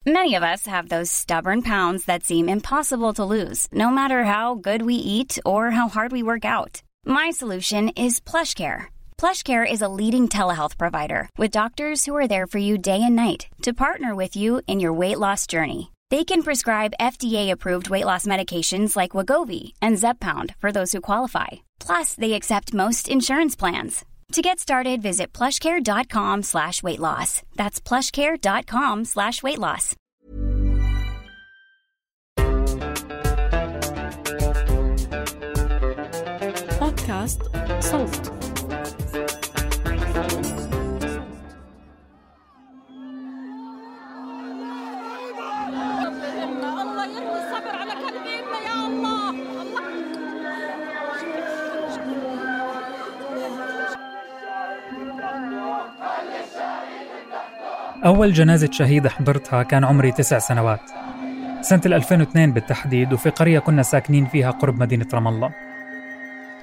Many of us have those stubborn pounds that seem impossible to lose, no matter how good we eat or how hard we work out. My solution is PlushCare. PlushCare is a leading telehealth provider with doctors who are there for you day and night to partner with you in your weight loss journey. They can prescribe FDA-approved weight loss medications like Wegovy and Zepbound for those who qualify. Plus, they accept most insurance plans. To get started, visit plushcare.com/weightloss. That's plushcare.com/weightloss. بودكاست صوت. الله يرضي الصبر على كلبنا يا الله. أول جنازة شهيد حضرتها كان عمري 9 سنوات، سنة 2002 بالتحديد، وفي قرية كنا ساكنين فيها قرب مدينة رام الله.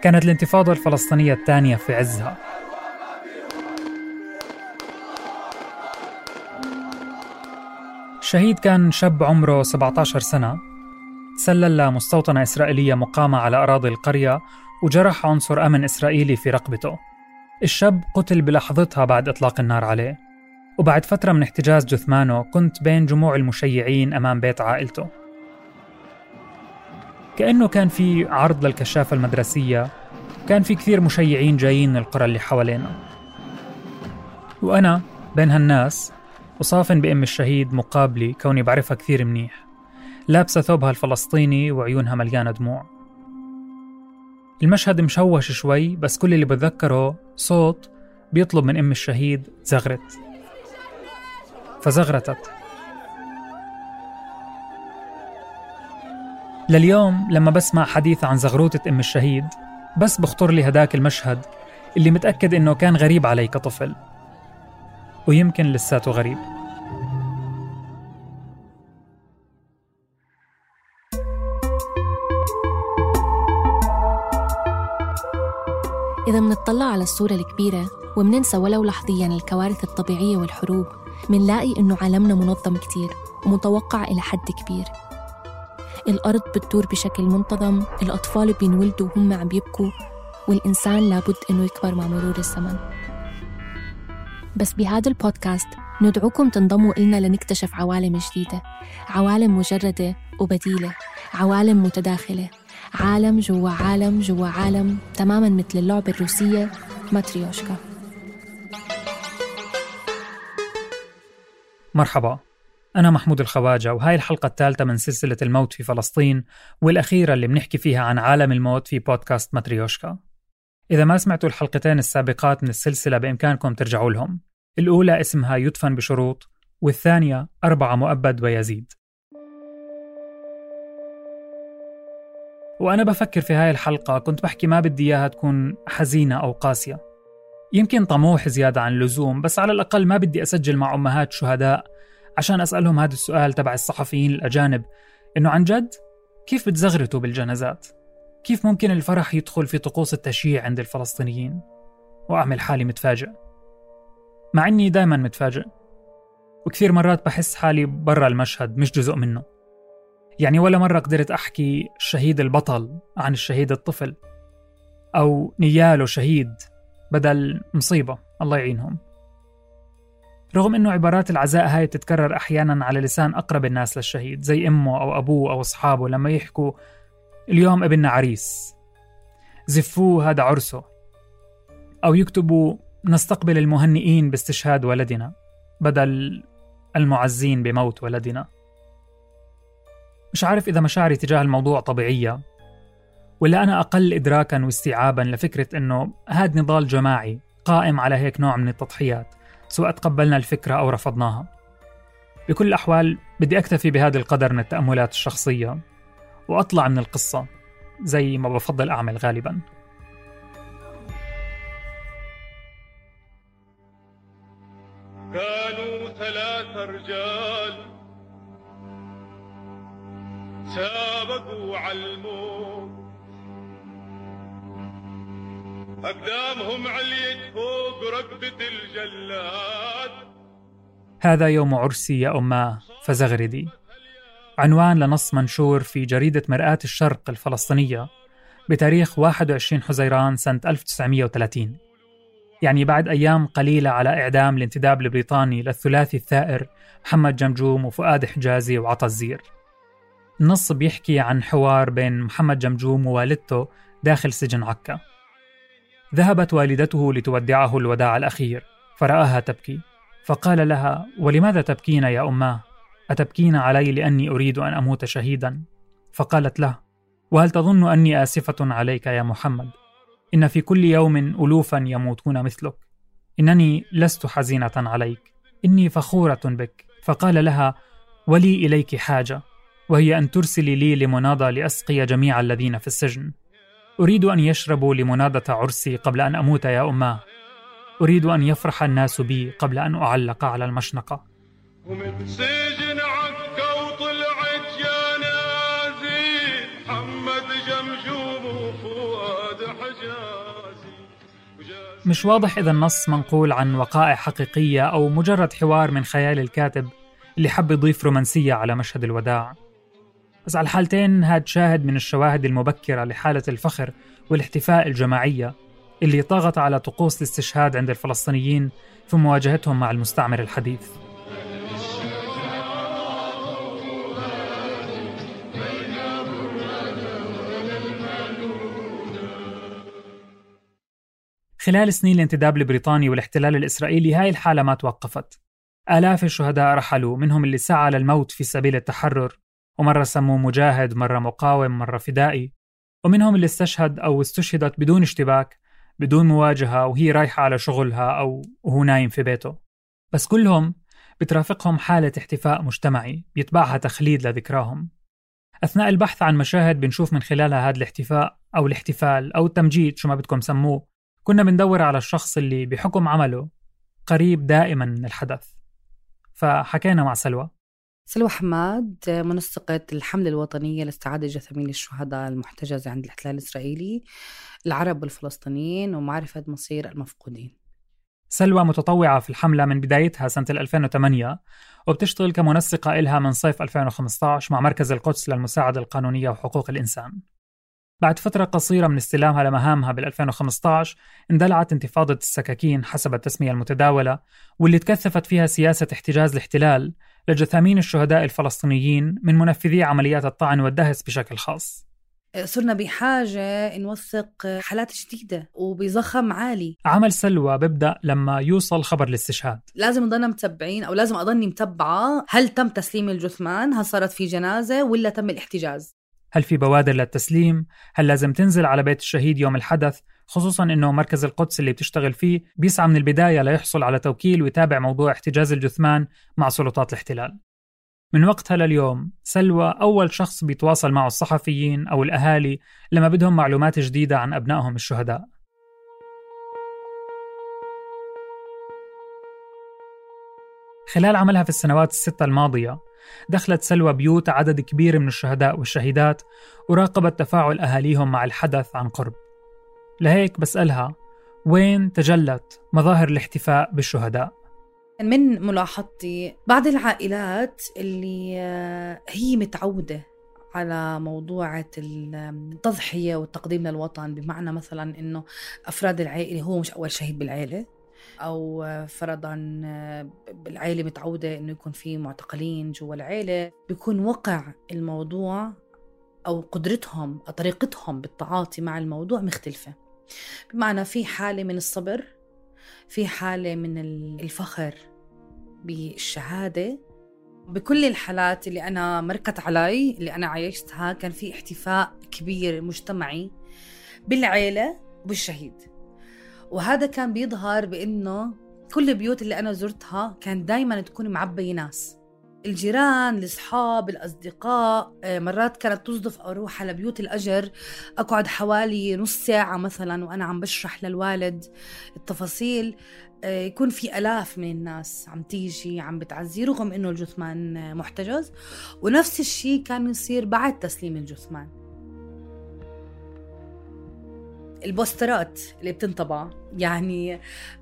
كانت الانتفاضة الفلسطينية الثانية في عزها. الشهيد كان شاب عمره 17 سنة، سلل لمستوطنة إسرائيلية مقامة على أراضي القرية وجرح عنصر أمن إسرائيلي في رقبته. الشاب قتل بلحظتها بعد إطلاق النار عليه، وبعد فترة من احتجاز جثمانه كنت بين جموع المشيعين أمام بيت عائلته. كأنه كان في عرض للكشافة المدرسية، كان في كثير مشيعين جايين من القرى اللي حوالينا، وأنا بين هالناس وصافن بأم الشهيد مقابلي كوني بعرفها كثير منيح، لابسة ثوبها الفلسطيني وعيونها مليانة دموع. المشهد مشوش شوي، بس كل اللي بتذكره صوت بيطلب من أم الشهيد زغرت، فزغرتت. لليوم لما بسمع حديث عن زغروتة أم الشهيد بس بخطر لي هداك المشهد اللي متأكد إنه كان غريب علي كطفل، ويمكن لساته غريب. إذا منطلع على الصورة الكبيرة ومننسى ولو لحظياً الكوارث الطبيعية والحروب، منلاقي إنه عالمنا منظم كتير ومتوقع إلى حد كبير. الأرض بتدور بشكل منتظم، الأطفال بينولدوا وهم عم يبكوا، والإنسان لابد إنه يكبر مع مرور الزمن. بس بهذا البودكاست ندعوكم تنضموا إلنا لنكتشف عوالم جديدة، عوالم مجردة وبديلة، عوالم متداخلة، عالم جوا عالم جوا عالم، تماماً مثل اللعبة الروسية ماتريوشكا. مرحبا، أنا محمود الخواجة، وهاي الحلقة الثالثة من سلسلة الموت في فلسطين، والأخيرة اللي بنحكي فيها عن عالم الموت في بودكاست ماتريوشكا. إذا ما سمعتوا الحلقتين السابقات من السلسلة بإمكانكم ترجعوا لهم. الأولى اسمها يدفن بشروط، والثانية 4 مؤبد ويزيد. وأنا بفكر في هاي الحلقة كنت بحكي ما بدي إياها تكون حزينة أو قاسية، يمكن طموح زيادة عن اللزوم، بس على الأقل ما بدي أسجل مع أمهات شهداء عشان أسألهم هذا السؤال تبع الصحفيين الأجانب، إنه عن جد كيف بتزغرتوا بالجنازات؟ كيف ممكن الفرح يدخل في طقوس التشييع عند الفلسطينيين؟ وأعمل حالي متفاجئ، مع إني دايما متفاجئ، وكثير مرات بحس حالي برا المشهد مش جزء منه. يعني ولا مرة قدرت أحكي الشهيد البطل عن الشهيد الطفل، أو نياله شهيد بدل مصيبة الله يعينهم. رغم إنه عبارات العزاء هاي تتكرر أحياناً على لسان أقرب الناس للشهيد، زي أمه أو أبوه أو أصحابه لما يحكوا اليوم ابننا عريس، زفوه هذا عرسه، أو يكتبوا نستقبل المهنئين باستشهاد ولدنا بدل المعزين بموت ولدنا. مش عارف إذا مشاعري تجاه الموضوع طبيعية، ولا أنا أقل إدراكاً واستيعاباً لفكرة إنه هاد نضال جماعي قائم على هيك نوع من التضحيات، سواء تقبلنا الفكرة أو رفضناها. بكل الأحوال بدي أكتفي بهذا القدر من التأملات الشخصية وأطلع من القصة زي ما بفضل أعمل غالباً. كانوا 3 رجال سابقوا عالموت، أقدامهم عليت فوق ركبة الجلاد. هذا يوم عرسي يا أماه فزغردي، عنوان لنص منشور في جريدة مرآة الشرق الفلسطينية بتاريخ 21 حزيران سنة 1930، يعني بعد أيام قليلة على إعدام الانتداب البريطاني للثلاثي الثائر محمد جمجوم وفؤاد حجازي وعطا الزير. النص بيحكي عن حوار بين محمد جمجوم ووالدته داخل سجن عكا. ذهبت والدته لتودعه الوداع الأخير فرآها تبكي، فقال لها: ولماذا تبكين يا أماه؟ أتبكين علي لأني أريد أن أموت شهيدا؟ فقالت له: وهل تظن أني آسفة عليك يا محمد؟ إن في كل يوم ألوفا يموتون مثلك. إنني لست حزينة عليك، إني فخورة بك. فقال لها: ولي إليك حاجة، وهي أن ترسلي لي لمناضة لأسقي جميع الذين في السجن. أريد أن يشربوا لمناضة عرسي قبل أن أموت يا أماه. أريد أن يفرح الناس بي قبل أن أعلق على المشنقة. ومن سجن عكا وطلعت يا نازي محمد جمجوم وفؤاد حجازي. مش واضح إذا النص منقول عن وقائع حقيقية أو مجرد حوار من خيال الكاتب اللي حب يضيف رومانسية على مشهد الوداع. بس على الحالتين هاد شاهد من الشواهد المبكرة لحالة الفخر والاحتفاء الجماعية اللي طغت على طقوس الاستشهاد عند الفلسطينيين في مواجهتهم مع المستعمر الحديث. خلال سنين الانتداب البريطاني والاحتلال الإسرائيلي هاي الحالة ما توقفت. آلاف الشهداء رحلوا، منهم اللي سعى للموت في سبيل التحرر، ومرة سموه مجاهد، مرة مقاوم، مرة فدائي، ومنهم اللي استشهد أو استشهدت بدون اشتباك، بدون مواجهة، وهي رايحة على شغلها أو وهو نايم في بيته. بس كلهم بترافقهم حالة احتفاء مجتمعي بيتبعها تخليد لذكراهم. أثناء البحث عن مشاهد بنشوف من خلالها هذا الاحتفاء أو الاحتفال أو التمجيد، شو ما بدكم سموه، كنا بندور على الشخص اللي بحكم عمله قريب دائما من الحدث. فحكينا مع سلوى حماد، منسقة الحملة الوطنية لاستعادة جثامين الشهداء المحتجزة عند الاحتلال الإسرائيلي، العرب والفلسطينيين، ومعرفة مصير المفقودين. سلوى متطوعة في الحملة من بدايتها سنة 2008، وبتشتغل كمنسقة إلها من صيف 2015 مع مركز القدس للمساعدة القانونية وحقوق الإنسان. بعد فترة قصيرة من استلامها لمهامها بال2015 اندلعت انتفاضة السكاكين حسب التسمية المتداولة، واللي تكثفت فيها سياسة احتجاز الاحتلال لجثامين الشهداء الفلسطينيين من منفذي عمليات الطعن والدهس بشكل خاص. صرنا بحاجة نوثق حالات جديدة وبضخم عالي. عمل سلوى بيبدأ لما يوصل خبر الاستشهاد. لازم نضلنا متبعين، أو لازم أضلني متبعة، هل تم تسليم الجثمان؟ هل صارت في جنازة ولا تم الاحتجاز؟ هل في بوادر للتسليم؟ هل لازم تنزل على بيت الشهيد يوم الحدث؟ خصوصاً إنه مركز القدس اللي بتشتغل فيه بيسعى من البداية ليحصل على توكيل ويتابع موضوع احتجاز الجثمان مع سلطات الاحتلال. من وقتها لليوم سلوى أول شخص بيتواصل معه الصحفيين أو الأهالي لما بدهم معلومات جديدة عن أبنائهم الشهداء. خلال عملها في السنوات الستة الماضية دخلت سلوى بيوت عدد كبير من الشهداء والشهيدات وراقبت تفاعل أهاليهم مع الحدث عن قرب. لهيك بسألها وين تجلت مظاهر الاحتفاء بالشهداء؟ من ملاحظتي بعض العائلات اللي هي متعودة على موضوع التضحية والتقديم للوطن، بمعنى مثلا إنه أفراد العائلة هو مش أول شهيد بالعائلة، أو فرضاً بالعائلة متعودة إنه يكون في معتقلين جوا العائلة، بيكون وقع الموضوع أو قدرتهم أو طريقتهم بالتعاطي مع الموضوع مختلفة. بمعنى في حالة من الصبر، في حالة من الفخر بالشهادة. بكل الحالات اللي أنا مركت علي اللي أنا عايشتها كان في احتفاء كبير مجتمعي بالعائلة وبالشهيد، وهذا كان بيظهر بأنه كل البيوت اللي أنا زرتها كان دايماً تكون معبية ناس، الجيران، الأصحاب، الأصدقاء. مرات كانت تصدف أروح على بيوت الأجر أقعد حوالي نص ساعة مثلاً وأنا عم بشرح للوالد التفاصيل، يكون في آلاف من الناس عم تيجي عم بتعزي رغم إنه الجثمان محتجز. ونفس الشيء كان يصير بعد تسليم الجثمان. البوسترات اللي بتنطبع. يعني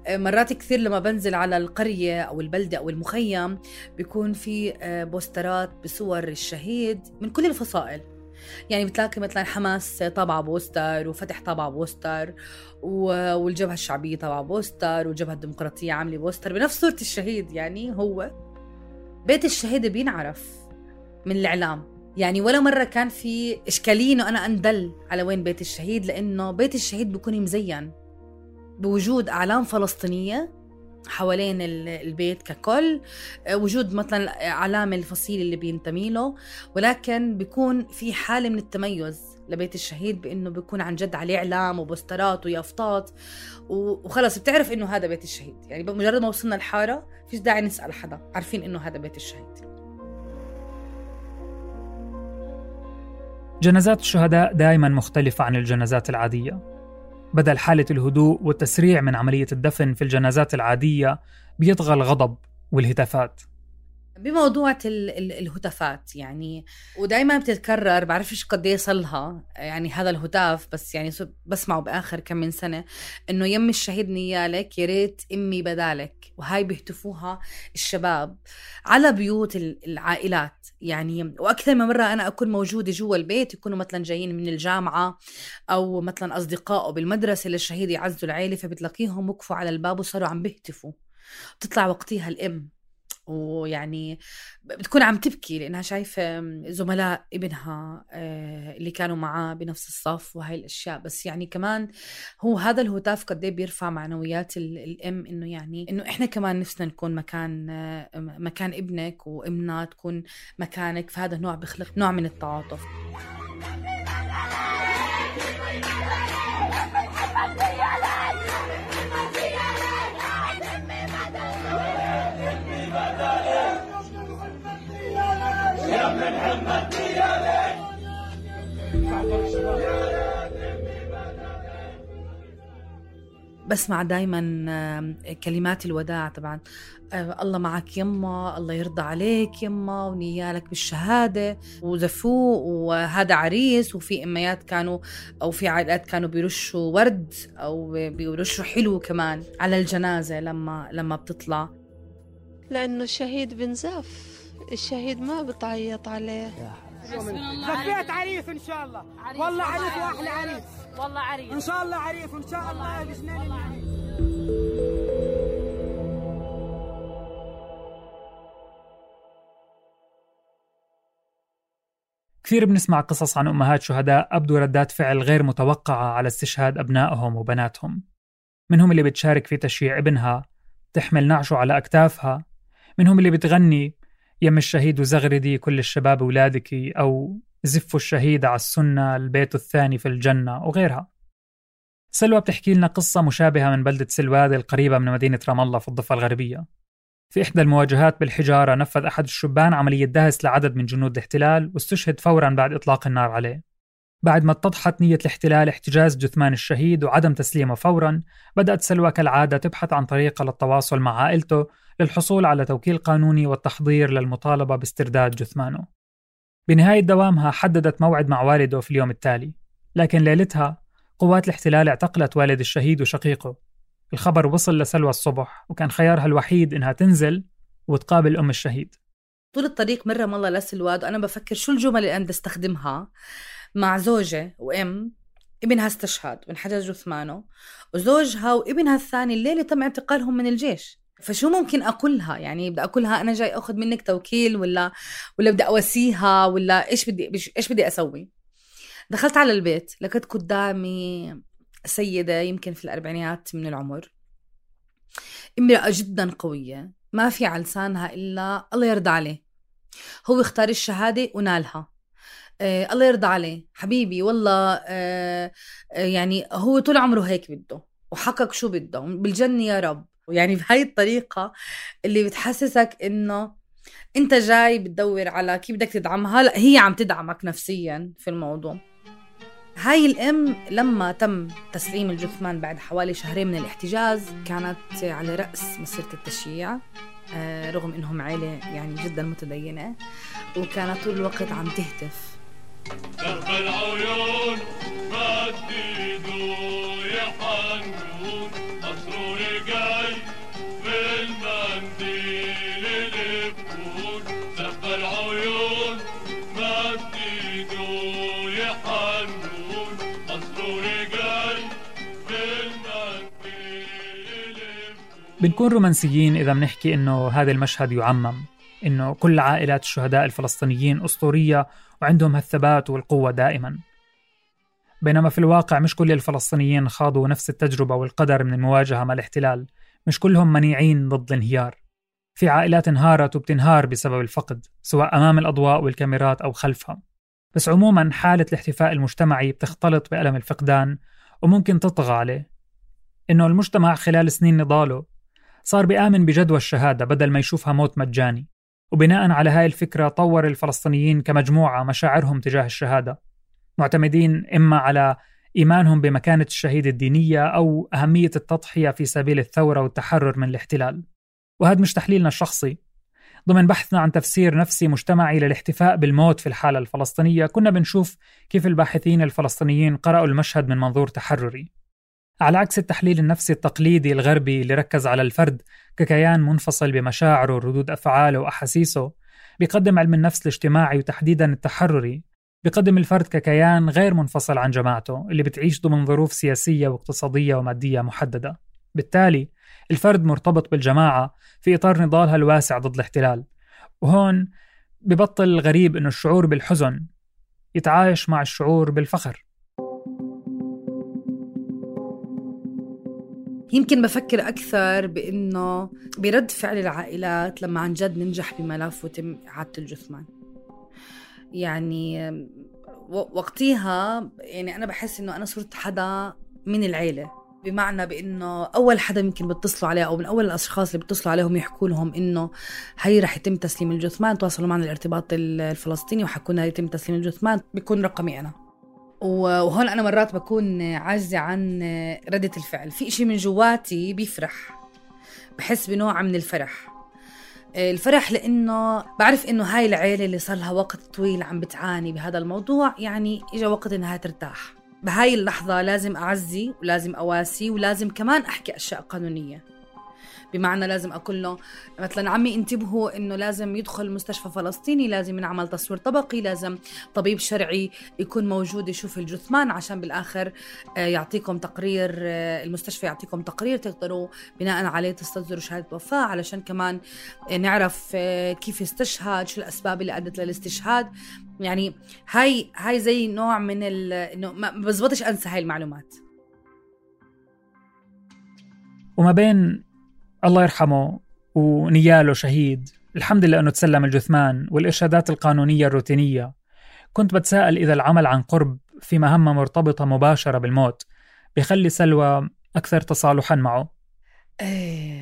مرات كثير لما بنزل على القرية أو البلدة أو المخيم بيكون في بوسترات بصور الشهيد من كل الفصائل. يعني بتلاقي مثلا حماس طابعة بوستر، وفتح طابعة بوستر، والجبهة الشعبية طابعة بوستر، والجبهة الديمقراطية عاملة بوستر بنفس صورة الشهيد. يعني هو بيت الشهيد بينعرف من الإعلام. يعني ولا مرة كان في إشكالية إنه أنا أندل على وين بيت الشهيد، لأنه بيت الشهيد بيكون مزين بوجود أعلام فلسطينية حوالين البيت ككل، وجود مثلا علامة الفصيل اللي بينتمي له، ولكن بيكون في حالة من التميز لبيت الشهيد بأنه بيكون عن جد عليه إعلام وبوسترات ويافطات، وخلص بتعرف إنه هذا بيت الشهيد. يعني بمجرد ما وصلنا الحارة فيش داعي نسأل حدا، عارفين إنه هذا بيت الشهيد. جنازات الشهداء دائما مختلفة عن الجنازات العادية. بدل حالة الهدوء والتسريع من عملية الدفن في الجنازات العادية بيطغى الغضب والهتافات. بموضوع الهتافات يعني، ودايما بتتكرر، بعرفش قد ايه صلها يعني هذا الهتاف، بس يعني بسمعه بآخر كم من سنة إنه يم الشهيد نيالك يا ريت أمي بدالك. وهاي بيهتفوها الشباب على بيوت العائلات. يعني وأكثر من مرة أنا أكون موجودة جوا البيت، يكونوا مثلا جايين من الجامعة أو مثلا أصدقائه بالمدرسة للشهيد يعزوا العيلة، فبتلاقيهم وقفوا على الباب وصاروا عم بيهتفوا. بتطلع وقتها الأم ويعني بتكون عم تبكي لأنها شايفة زملاء ابنها اللي كانوا معاه بنفس الصف وهاي الأشياء. بس يعني كمان هو هذا الهتاف قد ايه بيرفع معنويات الأم، إنه يعني إنه إحنا كمان نفسنا نكون مكان ابنك، وإمنا تكون مكانك. فهذا نوع بيخلق نوع من التعاطف. بسمع دايما كلمات الوداع طبعا، الله معك يما، الله يرضى عليك يما، ونيالك بالشهادة، وزفوه، وهذا عريس. وفي أميات كانوا أو في عائلات كانوا بيرشوا ورد أو بيرشوا حلو كمان على الجنازة لما بتطلع، لأنه الشهيد بنزف، الشهيد ما بتعيط عليه. زفيت عريس إن شاء الله، والله عريس وأحلى عريس، والله عريس إن شاء الله عريس، إن شاء الله بجنان العريس. كثير بنسمع قصص عن أمهات شهداء أبدوا ردات فعل غير متوقعة على استشهاد أبنائهم وبناتهم. منهم اللي بتشارك في تشييع ابنها، تحمل نعشه على أكتافها، منهم اللي بتغني يم الشهيد وزغردي كل الشباب ولادك، أو زفوا الشهيد على السنة البيت الثاني في الجنة، وغيرها. سلوى بتحكي لنا قصة مشابهة من بلدة سلواد القريبة من مدينة رام الله في الضفة الغربية. في إحدى المواجهات بالحجارة نفذ أحد الشبان عملية دهس لعدد من جنود الاحتلال، واستشهد فوراً بعد إطلاق النار عليه. بعد ما اتضحت نية الاحتلال احتجاز جثمان الشهيد وعدم تسليمه فوراً، بدأت سلوى كالعادة تبحث عن طريقة للتواصل مع عائلته للحصول على توكيل قانوني والتحضير للمطالبة باسترداد جثمانه. بنهاية دوامها حددت موعد مع والده في اليوم التالي، لكن ليلتها قوات الاحتلال اعتقلت والد الشهيد وشقيقه. الخبر وصل لسلوى الصبح، وكان خيارها الوحيد إنها تنزل وتقابل أم الشهيد. طول الطريق مرة والله لسلواد وأنا بفكر شو الجمل اللي أنا بدي استخدمها مع زوجة وأم ابنها استشهد وانحجز جثمانه، وزوجها وابنها الثاني الليلة تم اعتقالهم من الجيش. فشو ممكن أقولها؟ يعني بدي أقولها أنا جاي أخذ منك توكيل ولا بدي أواسيها ولا إيش بدي أسوي؟ دخلت على البيت، لقيت قدامي سيدة يمكن في الأربعينات من العمر، امرأة جدا قوية، ما في على لسانها إلا الله يرضى عليه، هو اختار الشهادة ونالها، الله يرضى عليه حبيبي والله، يعني هو طول عمره هيك بده وحقق شو بده بالجنة يا رب. يعني بهاي الطريقة اللي بتحسسك إنه أنت جاي بتدور على كيف بدك تدعمها، لا هي عم تدعمك نفسيا في الموضوع. هاي الأم لما تم تسليم الجثمان بعد حوالي شهرين من الاحتجاز كانت على رأس مسيرة التشييع، رغم إنهم عائلة يعني جدا متدينة، وكانت طول الوقت عم تهتف درب العيون بدي دور بنكون رومانسيين إذا منحكي إنه هذا المشهد يعمم، إنه كل عائلات الشهداء الفلسطينيين أسطورية وعندهم هالثبات والقوة دائما. بينما في الواقع مش كل الفلسطينيين خاضوا نفس التجربة والقدر من المواجهة مع الاحتلال، مش كلهم منيعين ضد الانهيار. في عائلات انهارت وبتنهار بسبب الفقد، سواء أمام الأضواء والكاميرات أو خلفها. بس عموما حالة الاحتفاء المجتمعي بتختلط بألم الفقدان وممكن تطغى عليه. إنه المجتمع خلال سنين نضاله صار بيآمن بجدوى الشهادة بدل ما يشوفها موت مجاني، وبناء على هاي الفكرة طور الفلسطينيين كمجموعة مشاعرهم تجاه الشهادة، معتمدين إما على إيمانهم بمكانة الشهيد الدينية أو أهمية التضحية في سبيل الثورة والتحرر من الاحتلال. وهذا مش تحليلنا الشخصي. ضمن بحثنا عن تفسير نفسي مجتمعي للاحتفاء بالموت في الحالة الفلسطينية، كنا بنشوف كيف الباحثين الفلسطينيين قرأوا المشهد من منظور تحرري، على عكس التحليل النفسي التقليدي الغربي اللي ركز على الفرد ككيان منفصل بمشاعره وردود أفعاله وأحاسيسه. بيقدم علم النفس الاجتماعي وتحديدا التحرري بيقدم الفرد ككيان غير منفصل عن جماعته اللي بتعيش ضمن ظروف سياسية واقتصادية ومادية محددة. بالتالي الفرد مرتبط بالجماعة في إطار نضالها الواسع ضد الاحتلال، وهون ببطل الغريب إنه الشعور بالحزن يتعايش مع الشعور بالفخر. يمكن بفكر أكثر بإنه برد فعل العائلات لما عن جد ننجح بملف وتم إعادة الجثمان. يعني وقتها يعني أنا بحس إنه أنا صرت حدا من العيلة، بمعنى بإنه أول حدا يمكن بتصلوا عليه أو من أول الأشخاص اللي بتصلوا عليهم يحكوا لهم إنه هاي رح يتم تسليم الجثمان، تواصلوا معنا الارتباط الفلسطيني وحكونا يتم تسليم الجثمان، بيكون رقمي أنا. وهون أنا مرات بكون عاجزة عن ردة الفعل، في إشي من جواتي بيفرح، بحس بنوع من الفرح لأنه بعرف إنه هاي العيلة اللي صار لها وقت طويل عم بتعاني بهذا الموضوع، يعني إجا وقت إنها ترتاح. بهاي اللحظة لازم أعزي ولازم أواسي ولازم كمان أحكي أشياء قانونية، بمعنى لازم أقول له مثلا عمي انتبهوا إنه لازم يدخل مستشفى فلسطيني، لازم ينعمل تصوير طبقي، لازم طبيب شرعي يكون موجود يشوف الجثمان عشان بالآخر يعطيكم تقرير، المستشفى يعطيكم تقرير تقدروا بناء عليه تستصدروا شهادة وفاة، علشان كمان نعرف كيف استشهد، شو الأسباب اللي أدت للاستشهاد. يعني هاي زي نوع من إنه ما بزبطش أنسى هاي المعلومات. وما بين الله يرحمه ونياله شهيد، الحمد لله أنه تسلم الجثمان والإرشادات القانونية الروتينية، كنت بتساءل إذا العمل عن قرب في مهمة مرتبطة مباشرة بالموت بيخلي سلوى أكثر تصالحا معه.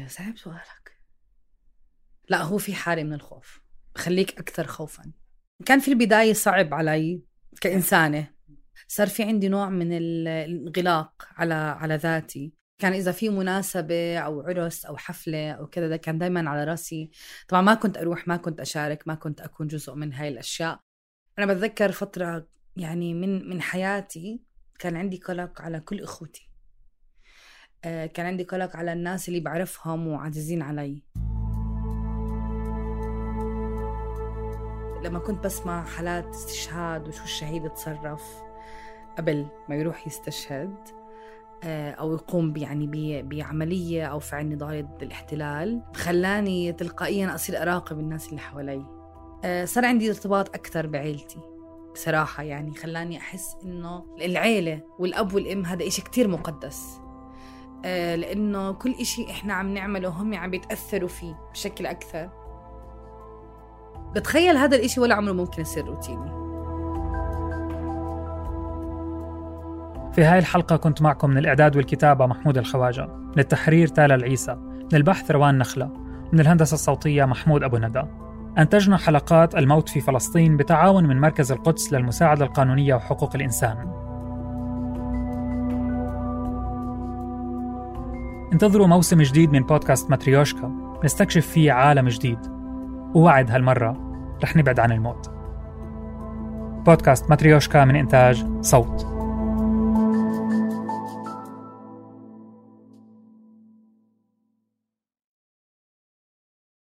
صعب سؤالك. لا، هو في حالة من الخوف بخليك أكثر خوفا. كان في البداية صعب علي كإنسانة، صار في عندي نوع من الانغلاق على ذاتي. كان إذا في مناسبة أو عرس أو حفلة أو كذا، ده كان دايما على رأسي. طبعا ما كنت أروح، ما كنت أشارك، ما كنت أكون جزء من هاي الأشياء. أنا بتذكر فترة يعني من حياتي كان عندي قلق على كل إخوتي، كان عندي قلق على الناس اللي بعرفهم وعزيزين علي. لما كنت بسمع حالات استشهاد وشو الشهيد اتصرف قبل ما يروح يستشهد أو يقوم يعني بعملية أو فعل نضال ضد الاحتلال، خلاني تلقائيا أصير أراقب الناس اللي حوالي. صار عندي ارتباط أكثر بعيلتي بصراحة، يعني خلاني أحس إنه العيلة والأب والأم هذا إشي كتير مقدس، لأنه كل إشي إحنا عم نعمله هم عم بيتأثروا فيه بشكل أكثر. بتخيل هذا الإشي ولا عمره ممكن يصير روتيني. في هاي الحلقة كنت معكم من الإعداد والكتابة محمود الخواجة، من التحرير تالا العيسى، من البحث روان نخلة، من الهندسة الصوتية محمود أبو ندى. أنتجنا حلقات الموت في فلسطين بتعاون من مركز القدس للمساعدة القانونية وحقوق الإنسان. انتظروا موسم جديد من بودكاست ماتريوشكا، نستكشف فيه عالم جديد، ووعد هالمرة رح نبعد عن الموت. بودكاست ماتريوشكا من إنتاج صوت.